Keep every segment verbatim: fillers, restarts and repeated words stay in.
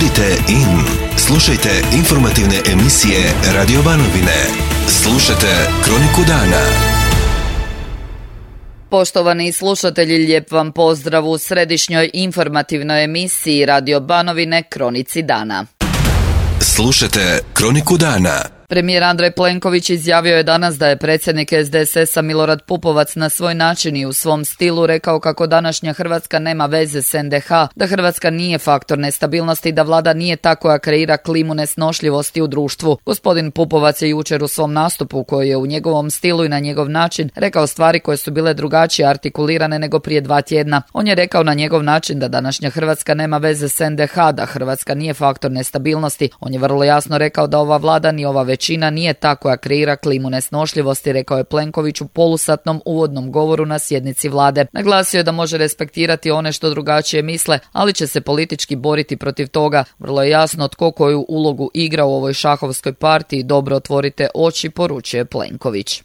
Budite in. Slušajte informativne emisije Radio Banovine. Slušajte Kroniku dana. Poštovani slušatelji, lijep vam pozdrav u središnjoj informativnoj emisiji Radio Banovine Kronici dana. Slušajte Kroniku dana. Premijer Andrej Plenković izjavio je danas da je predsjednik S D S S-a Milorad Pupovac na svoj način i u svom stilu rekao kako današnja Hrvatska nema veze s N D H, da Hrvatska nije faktor nestabilnosti i da vlada nije ta koja kreira klimu nesnošljivosti u društvu. Gospodin Pupovac je jučer u svom nastupu, koji je u njegovom stilu i na njegov način, rekao stvari koje su bile drugačije artikulirane nego prije dva tjedna. On je rekao na njegov način da današnja Hrvatska nema veze s N D H, da Hrvatska nije faktor nestabilnosti. On je vrlo jasno rekao da ova vlada ni ova većina nije ta koja kreira klimu nesnošljivosti, rekao je Plenković u polusatnom uvodnom govoru na sjednici vlade. Naglasio je da može respektirati one što drugačije misle, ali će se politički boriti protiv toga. Vrlo je jasno tko koju ulogu igra u ovoj šahovskoj partiji. Dobro otvorite oči, poručuje Plenković.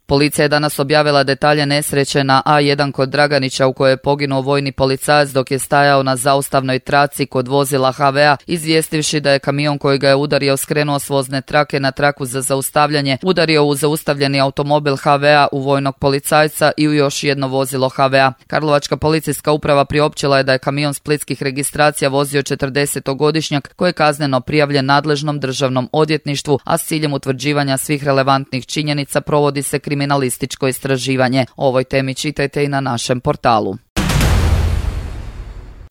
Policija je danas objavila detalje nesreće na A jedan kod Draganića u kojoj je poginuo vojni policajac dok je stajao na zaustavnoj traci kod vozila H V A, izvijestivši da je kamion koji ga je udario skrenuo s vozne trake na traku za zaustavljanje, udario u zaustavljeni automobil H V A u vojnog policajca i u još jedno vozilo H V A. Karlovačka policijska uprava priopćila je da je kamion splitskih registracija vozio četrdesetogodišnjak koji je kazneno prijavljen nadležnom državnom odvjetništvu, a s ciljem utvrđivanja svih relevantnih činjenica provodi se kriminalističko istraživanje. O ovoj temi čitajte i na našem portalu.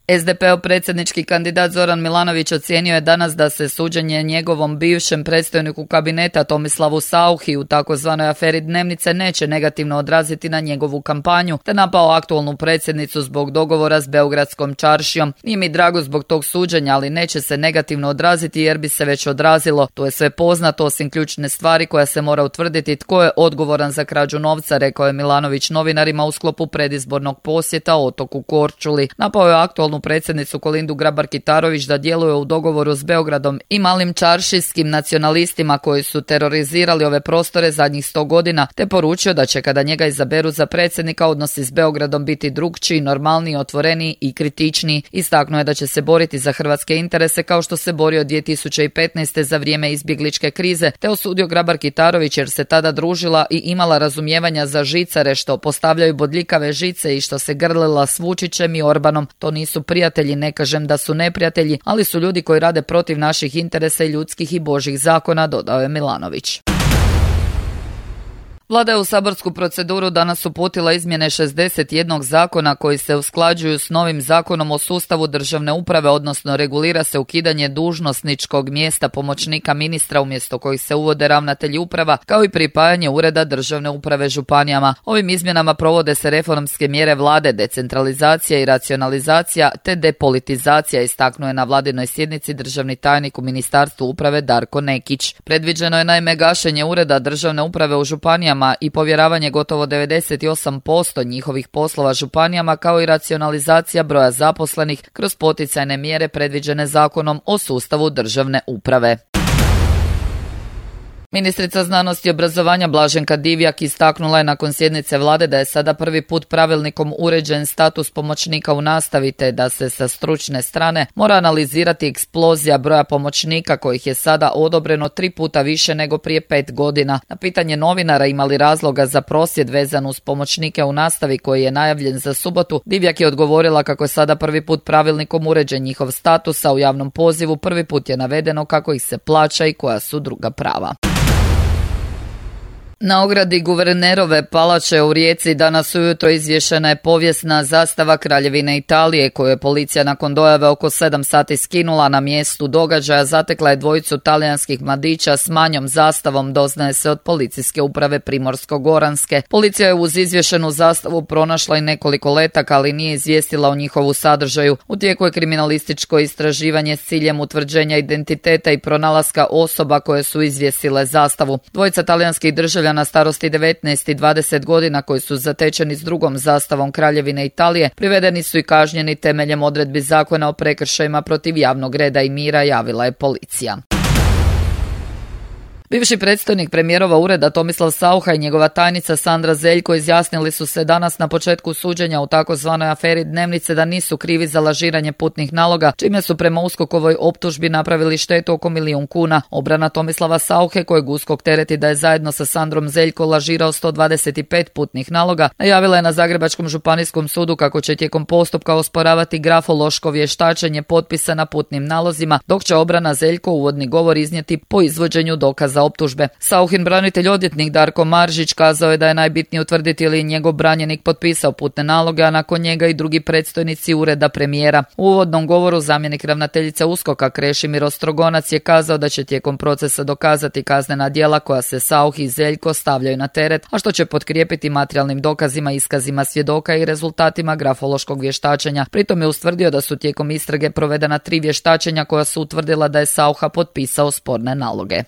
S D P-ov predsjednički kandidat Zoran Milanović ocijenio je danas da se suđenje njegovom bivšem predstojniku kabineta Tomislavu Sauchi u takozvanoj aferi Dnevnice neće negativno odraziti na njegovu kampanju, te napao aktualnu predsjednicu zbog dogovora s Beogradskom čaršijom. Nije mi drago zbog tog suđenja, ali neće se negativno odraziti jer bi se već odrazilo. To je sve poznato osim ključne stvari koja se mora utvrditi tko je odgovoran za krađu novca, rekao je Milanović novinarima u sklopu predizbornog posjeta otoku Korčuli. Napao je aktualnu predsjednicu Kolindu Grabar-Kitarović da djeluje u dogovoru s Beogradom i malim čaršijskim nacionalistima koji su terorizirali ove prostore zadnjih sto godina, te poručio da će kada njega izaberu za predsjednika odnosi s Beogradom biti drugčiji, normalniji, otvoreniji i kritičniji. Istaknuo je da će se boriti za hrvatske interese kao što se borio dvije tisuće petnaeste. za vrijeme izbjegličke krize, te osudio Grabar-Kitarović jer se tada družila i imala razumijevanja za žicare što postavljaju bodljikave žice i što se grlila s Vučićem i Orbanom. To nisu prijatelji, ne kažem da su neprijatelji, ali su ljudi koji rade protiv naših interesa i ljudskih i božjih zakona, dodao je Milanović. Vlada je u saborsku proceduru danas uputila izmjene šezdeset jednog zakona koji se usklađuju s novim zakonom o sustavu državne uprave, odnosno regulira se ukidanje dužnosničkog mjesta pomoćnika ministra umjesto kojih se uvode ravnatelji uprava, kao i pripajanje ureda državne uprave županijama. Ovim izmjenama provode se reformske mjere vlade, decentralizacija i racionalizacija te depolitizacija, istaknuo je na vladinoj sjednici državni tajnik u Ministarstvu uprave Darko Nekić. Predviđeno je naime gašenje ureda državne uprave u županijama i povjeravanje gotovo devedeset osam posto njihovih poslova županijama, kao i racionalizacija broja zaposlenih kroz poticajne mjere predviđene Zakonom o sustavu državne uprave. Ministrica znanosti i obrazovanja Blaženka Divjak istaknula je nakon sjednice vlade da je sada prvi put pravilnikom uređen status pomoćnika u nastavi, te da se sa stručne strane mora analizirati eksplozija broja pomoćnika kojih je sada odobreno tri puta više nego prije pet godina. Na pitanje novinara ima li razloga za prosvjed vezan uz pomoćnike u nastavi koji je najavljen za subotu, Divjak je odgovorila kako je sada prvi put pravilnikom uređen njihov status, a u javnom pozivu prvi put je navedeno kako ih se plaća i koja su druga prava. Na ogradi guvernerove palače u Rijeci danas ujutro izvješena je povijesna zastava Kraljevine Italije koju je policija nakon dojave oko sedam sati skinula. Na mjestu događaja zatekla je dvojicu talijanskih mladića s manjom zastavom, doznaje se od policijske uprave Primorsko-goranske. Policija je uz izvješenu zastavu pronašla i nekoliko letaka, ali nije izvijestila o njihovu sadržaju. U tijeku je kriminalističko istraživanje s ciljem utvrđenja identiteta i pronalaska osoba koje su izvjesile zastavu. Dvojica talijanskih državljana na starosti devetnaest i dvadeset godina koji su zatečeni s drugom zastavom Kraljevine Italije privedeni su i kažnjeni temeljem odredbi zakona o prekršajima protiv javnog reda i mira, javila je policija. Bivši predstojnik premijerova ureda Tomislav Saucha i njegova tajnica Sandra Zeljko izjasnili su se danas na početku suđenja u takozvanoj aferi Dnevnice da nisu krivi za lažiranje putnih naloga, čime su prema USKOK-ovoj optužbi napravili štetu oko milijun kuna. Obrana Tomislava Sauche, kojeg USKOK tereti da je zajedno sa Sandrom Zeljko lažirao sto dvadeset pet putnih naloga, najavila je na Zagrebačkom županijskom sudu kako će tijekom postupka osporavati grafološko vještačenje potpisa na putnim nalozima, dok će obrana Zeljko uvodni govor iznijeti po izvođenju dokaza optužbe. Sauchin branitelj odvjetnik Darko Maržić kazao je da je najbitnije utvrditi ili njegov branjenik potpisao putne naloge, a nakon njega i drugi predstojnici ureda premijera. U uvodnom govoru zamjenik ravnateljice USKOK-a Krešimir Ostrogonac je kazao da će tijekom procesa dokazati kaznena djela koja se Sauch i Zeljko stavljaju na teret, a što će potkrijepiti materijalnim dokazima, iskazima svjedoka i rezultatima grafološkog vještačenja. Pritom je ustvrdio da su tijekom istrage provedena tri vještačenja koja su utvrdila da je Saucha potpisao sporne naloge.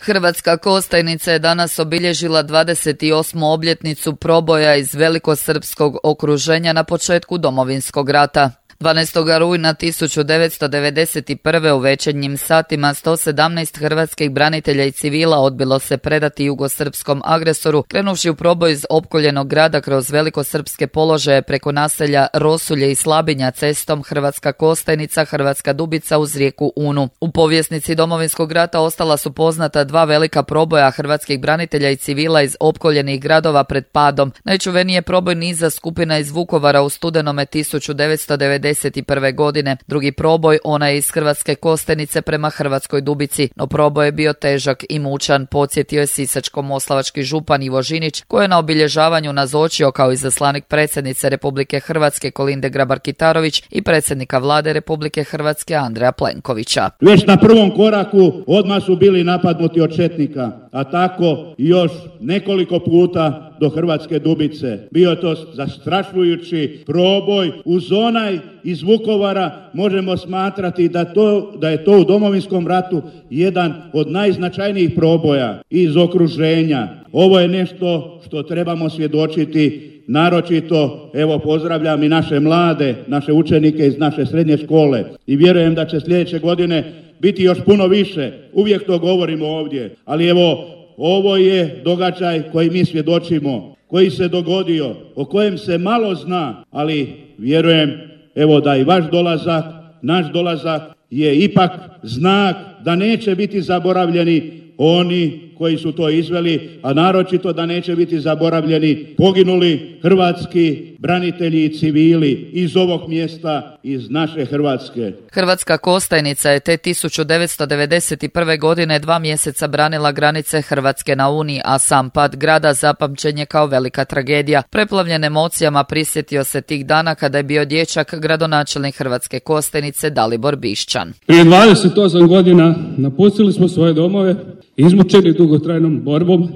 Hrvatska Kostajnica je danas obilježila dvadeset osmu obljetnicu proboja iz velikosrpskog okruženja na početku Domovinskog rata. dvanaestog rujna tisuću devetsto devedeset prve u večernjim satima sto sedamnaest hrvatskih branitelja i civila odbilo se predati jugosrpskom agresoru, krenuvši u proboj iz opkoljenog grada kroz velikosrpske položaje preko naselja Rosulje i Slabinja cestom Hrvatska Kostajnica, Hrvatska Dubica uz rijeku Unu. U povjesnici Domovinskog rata ostala su poznata dva velika proboja hrvatskih branitelja i civila iz opkoljenih gradova pred padom. Najčuveniji je proboj niza skupina iz Vukovara u studenome tisuću devetsto devedeset prve godine. Drugi proboj, ona je iz Hrvatske Kostajnice prema Hrvatskoj Dubici, no proboj je bio težak i mučan, podsjetio je sisačko-moslavački župan Ivo Žinić, koji je na obilježavanju nazočio kao izaslanik predsjednice Republike Hrvatske Kolinde Grabar-Kitarović i predsjednika vlade Republike Hrvatske Andreja Plenkovića. Već na prvom koraku odmah su bili napadnuti od četnika, a tako još nekoliko puta do Hrvatske Dubice. Bio to zastrašujući proboj uz onaj iz Vukovara, možemo smatrati da, to, da je to u Domovinskom ratu jedan od najznačajnijih proboja iz okruženja. Ovo je nešto što trebamo svjedočiti, naročito, evo pozdravljam i naše mlade, naše učenike iz naše srednje škole i vjerujem da će sljedeće godine biti još puno više. Uvijek to govorimo ovdje, ali evo, ovo je događaj koji mi svjedočimo, koji se dogodio, o kojem se malo zna, ali vjerujem evo da i vaš dolazak, naš dolazak je ipak znak da neće biti zaboravljeni oni koji su to izveli, a naročito da neće biti zaboravljeni poginuli hrvatski branitelji i civili iz ovog mjesta, iz naše Hrvatske. Hrvatska Kostajnica je te tisuću devetsto devedeset prve godine dva mjeseca branila granice Hrvatske na Uni, a sam pad grada zapamćen je kao velika tragedija. Preplavljen emocijama prisjetio se tih dana kada je bio dječak gradonačelnik Hrvatske Kostajnice Dalibor Bišćan. Prije dvadeset osam godina napustili smo svoje domove, izmučeni dugotrajnom borbom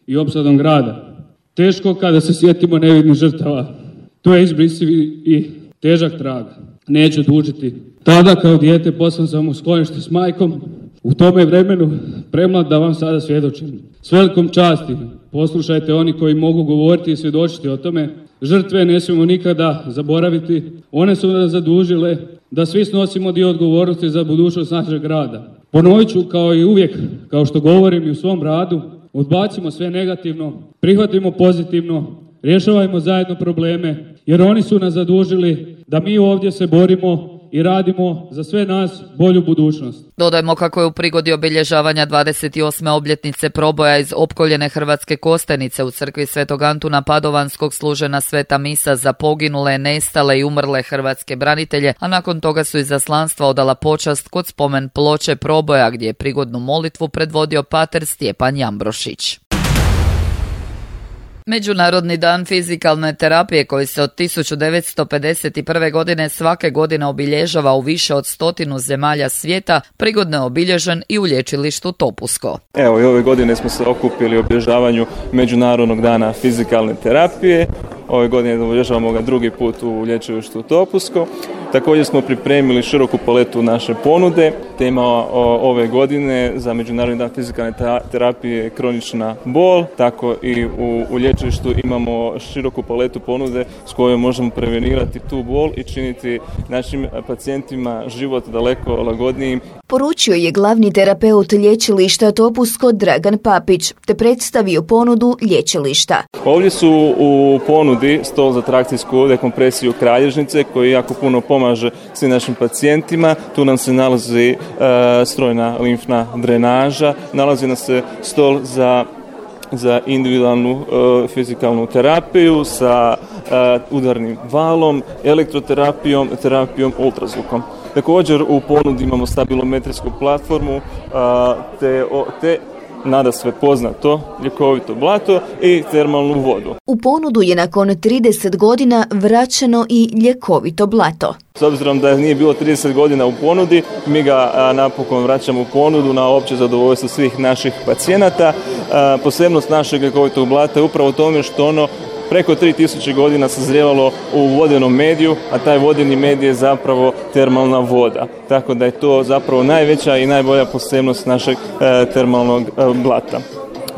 i opsadom grada. Teško kada se sjetimo nevidnih žrtava. To je izbrisiv i težak trag. Neću dužiti. Tada kao dijete poslan sam u sklonište s majkom. U tome vremenu premlad da vam sada svjedočim. S velikom časti poslušajte oni koji mogu govoriti i svjedočiti o tome. Žrtve ne smijemo nikada zaboraviti. One su nas zadužile da svi snosimo dio odgovornosti za budućnost našeg grada. Ponovit ću kao i uvijek, kao što govorim i u svom radu, odbacimo sve negativno, prihvatimo pozitivno, rješavajmo zajedno probleme, jer oni su nas zadužili da mi ovdje se borimo i radimo za sve nas bolju budućnost. Dodajmo kako je u prigodi obilježavanja dvadeset osme obljetnice proboja iz opkoljene Hrvatske Kostajnice u crkvi Svetog Antuna Padovanskog služena sveta misa za poginule, nestale i umrle hrvatske branitelje, a nakon toga su izaslanstva odala počast kod spomen ploče proboja gdje je prigodnu molitvu predvodio pater Stjepan Jambrošić. Međunarodni dan fizikalne terapije koji se od tisuću devetsto pedeset prve godine svake godine obilježava u više od stotinu zemalja svijeta, prigodno je obilježen i u lječilištu Topusko. Evo i ove godine smo se okupili u obilježavanju Međunarodnog dana fizikalne terapije. Ove godine obilježavamo ga drugi put u lječilištu Topusko. Također smo pripremili široku paletu naše ponude. Tema ove godine za Međunarodni dan fizikalne terapije je kronična bol, tako i u, u lječilištu imamo široku paletu ponude s kojom možemo prevenirati tu bol i činiti našim pacijentima život daleko lagodnijim. Poručio je glavni terapeut lječilišta Topusko Dragan Papić, te predstavio ponudu lječilišta. Ovdje su u ponudi stol za trakcijsku dekompresiju kralježnice koji jako puno pomaže svim našim pacijentima. Tu nam se nalazi e, strojna limfna drenaža, nalazi nam se stol za za individualnu e, fizikalnu terapiju sa e, udarnim valom, elektroterapijom, terapijom ultrazvukom. Također u ponudi imamo stabilometrijsku platformu a, te, o, te nada sve poznato ljekovito blato i termalnu vodu. U ponudu je nakon trideset godina vraćeno i ljekovito blato. S obzirom da nije bilo trideset godina u ponudi, mi ga a, napokon vraćamo u ponudu na opće zadovoljstvo svih naših pacijenata. A, posebnost našeg ljekovitog blata je upravo u tome što ono preko tri tisuće godina sazrijevalo u vodenom mediju, a taj vodeni medij je zapravo termalna voda. Tako da je to zapravo najveća i najbolja posebnost našeg e, termalnog e, blata.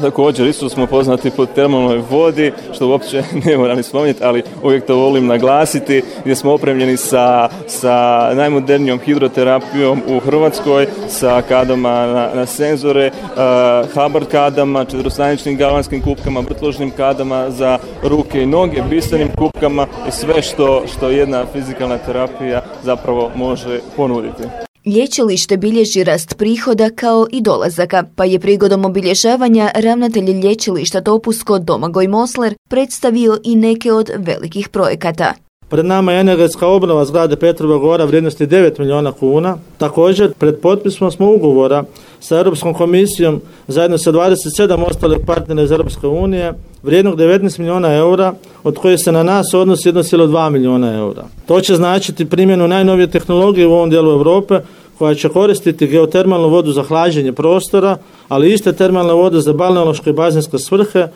Također, isto smo poznati po termalnoj vodi, što uopće ne moram ni spomenuti, ali uvijek to volim naglasiti, gdje smo opremljeni sa, sa najmodernijom hidroterapijom u Hrvatskoj, sa kadama na, na senzore, uh, Hubbard kadama, četverostaničnim galvanskim kupkama, vrtložnim kadama za ruke i noge, bisernim kupkama i sve što, što jedna fizikalna terapija zapravo može ponuditi. Lječilište bilježi rast prihoda kao i dolazaka, pa je prigodom obilježavanja ravnatelj lječilišta Topusko Domagoj Mosler predstavio i neke od velikih projekata. Pred nama je energetska obnova zgrade Petrova Gora vrijednosti devet milijuna kuna. Također, pred potpisom smo ugovora sa Europskom komisijom zajedno sa dvadeset sedam ostalih partnera iz Europske unije vrijednog devetnaest milijuna eura, od kojih se na nas odnosi jedan zarez dva milijuna eura. To će značiti primjenu najnovije tehnologije u ovom dijelu Europe, koja će koristiti geotermalnu vodu za hlađenje prostora, ali iste termalne vode za balneološke i bazenske svrhe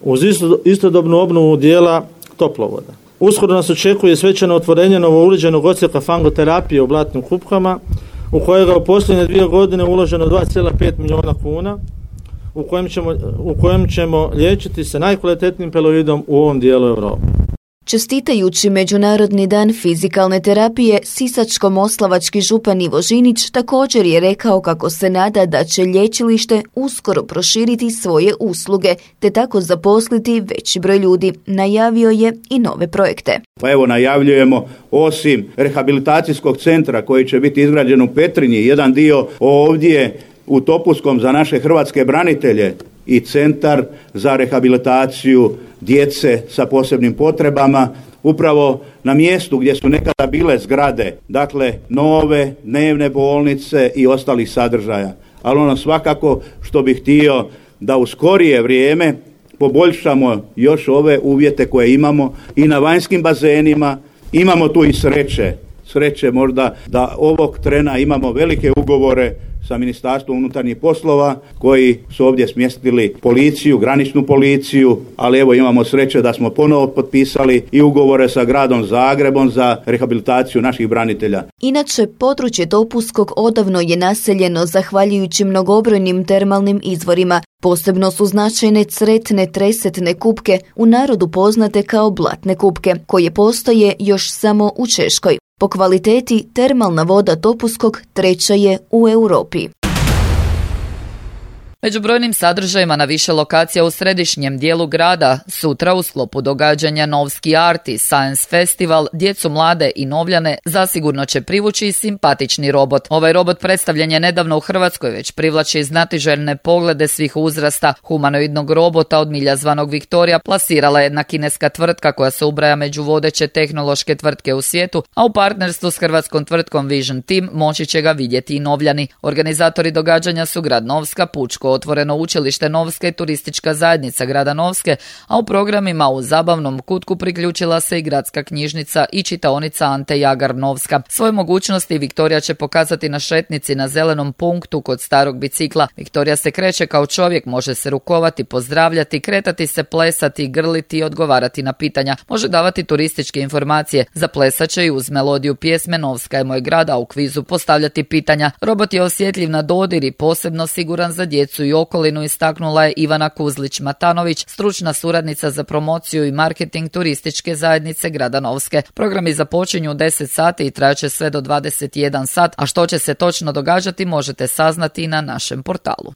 uz istodobnu obnovu dijela toplovoda. Uskoro nas očekuje svečano otvorenje novouređenog odsjeka fangoterapije u blatnim kupkama, u kojega u posljednje dvije godine uloženo dva zarez pet milijuna kuna, u kojem ćemo, u kojem ćemo liječiti se najkvalitetnijim peloidom u ovom dijelu Europe. Čestitajući Međunarodni dan fizikalne terapije, sisačko-moslavački župan Ivo Žinić također je rekao kako se nada da će lječilište uskoro proširiti svoje usluge, te tako zaposliti veći broj ljudi. Najavio je i nove projekte. Pa evo najavljujemo osim rehabilitacijskog centra koji će biti izgrađen u Petrinji, jedan dio ovdje u Topuskom za naše hrvatske branitelje i centar za rehabilitaciju djece sa posebnim potrebama, upravo na mjestu gdje su nekada bile zgrade, dakle nove dnevne bolnice i ostalih sadržaja. Ali ono svakako što bih htio da u skorije vrijeme poboljšamo još ove uvjete koje imamo i na vanjskim bazenima. Imamo tu i sreće, sreće možda da ovog trena imamo velike ugovore sa Ministarstvom unutarnjih poslova koji su ovdje smjestili policiju, graničnu policiju, ali evo imamo sreće da smo ponovo potpisali i ugovore sa gradom Zagrebom za rehabilitaciju naših branitelja. Inače, područje Topuskog odavno je naseljeno zahvaljujući mnogobrojnim termalnim izvorima. Posebno su značajne cretne tresetne kupke, u narodu poznate kao blatne kupke, koje postoje još samo u Češkoj. Po kvaliteti, termalna voda Topuskog treća je u Europi. Među brojnim sadržajima na više lokacija u središnjem dijelu grada sutra u sklopu događanja Novski Arti Science Festival djecu mlade i novljane zasigurno će privući simpatični robot. Ovaj robot predstavljen je nedavno u Hrvatskoj, već privlači znatiželjne poglede svih uzrasta. Humanoidnog robota od milja zvanog Viktorija plasirala je jedna kineska tvrtka koja se ubraja među vodeće tehnološke tvrtke u svijetu, a u partnerstvu s hrvatskom tvrtkom Vision Team moći će ga vidjeti i novljani. Organizatori događanja su grad Novska, Pučko otvoreno učilište Novske i turistička zajednica grada Novske, a u programima u zabavnom kutku priključila se i gradska knjižnica i čitaonica Ante Jagar Novska. Svoje mogućnosti Viktorija će pokazati na šetnici na zelenom punktu kod starog bicikla. Viktorija se kreće kao čovjek, može se rukovati, pozdravljati, kretati se, plesati, grliti i odgovarati na pitanja. Može davati turističke informacije. Zaplesat će i uz melodiju pjesme Novska je moj grad, a u kvizu postavljati pitanja. Robot je osjetljiv na dodir i posebno siguran za djecu i okolinu, istaknula je Ivana Kuzlić-Matanović, stručna suradnica za promociju i marketing turističke zajednice grada Novske. Programi započinju u deset sati i trajaće sve do dvadeset jedan sat, a što će se točno događati možete saznati i na našem portalu.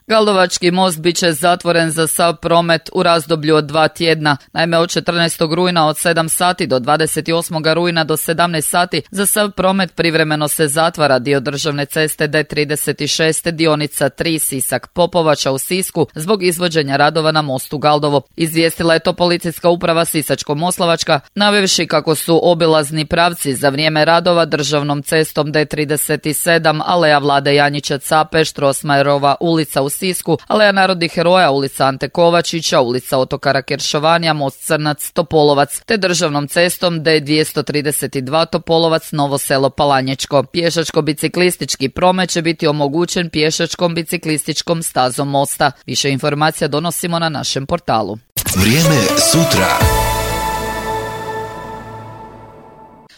Galdovački most bit će zatvoren za sav promet u razdoblju od dva tjedna. Naime, od četrnaestog rujna od sedam sati do dvadeset osmog rujna do sedamnaest sati za sav promet privremeno se zatvara dio državne ceste D trideset šest dionica tri Sisak Popovača u Sisku zbog izvođenja radova na mostu Galdovo. Izvijestila je to policijska uprava Sisačko-moslavačka, navevši kako su obilazni pravci za vrijeme radova državnom cestom D trideset sedam Aleja Vlade Janjića Cape, Štrosmajerova ulica u Sisku, Aleja narodnih heroja, ulica Ante Kovačića, ulica Otokara Keršovanija, most Crnac, Topolovac, te državnom cestom D dvjesto trideset dva Topolovac, Novo selo Palanječko. Pješačko-biciklistički promet će biti omogućen pješačkom biciklističkom stazom mosta. Više informacija donosimo na našem portalu. Vrijeme sutra.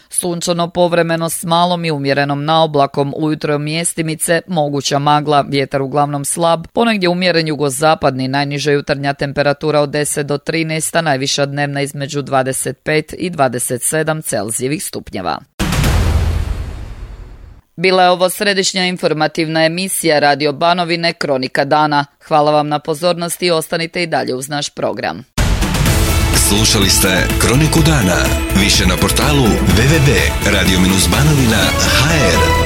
Sunčano povremeno s malom i umjerenom naoblakom, ujutro mjestimice, moguća magla, vjetar uglavnom slab, ponegdje umjeren jugozapadni, najniža jutarnja temperatura od deset do trinaest, a najviša dnevna između dvadeset pet i dvadeset sedam Celzijevih stupnjeva. Bila je ovo središnja informativna emisija Radio Banovine Kronika dana. Hvala vam na pozornosti i ostanite i dalje uz naš program. Slušali ste Kroniku dana. Više na portalu w w w tačka radio banovina tačka h r.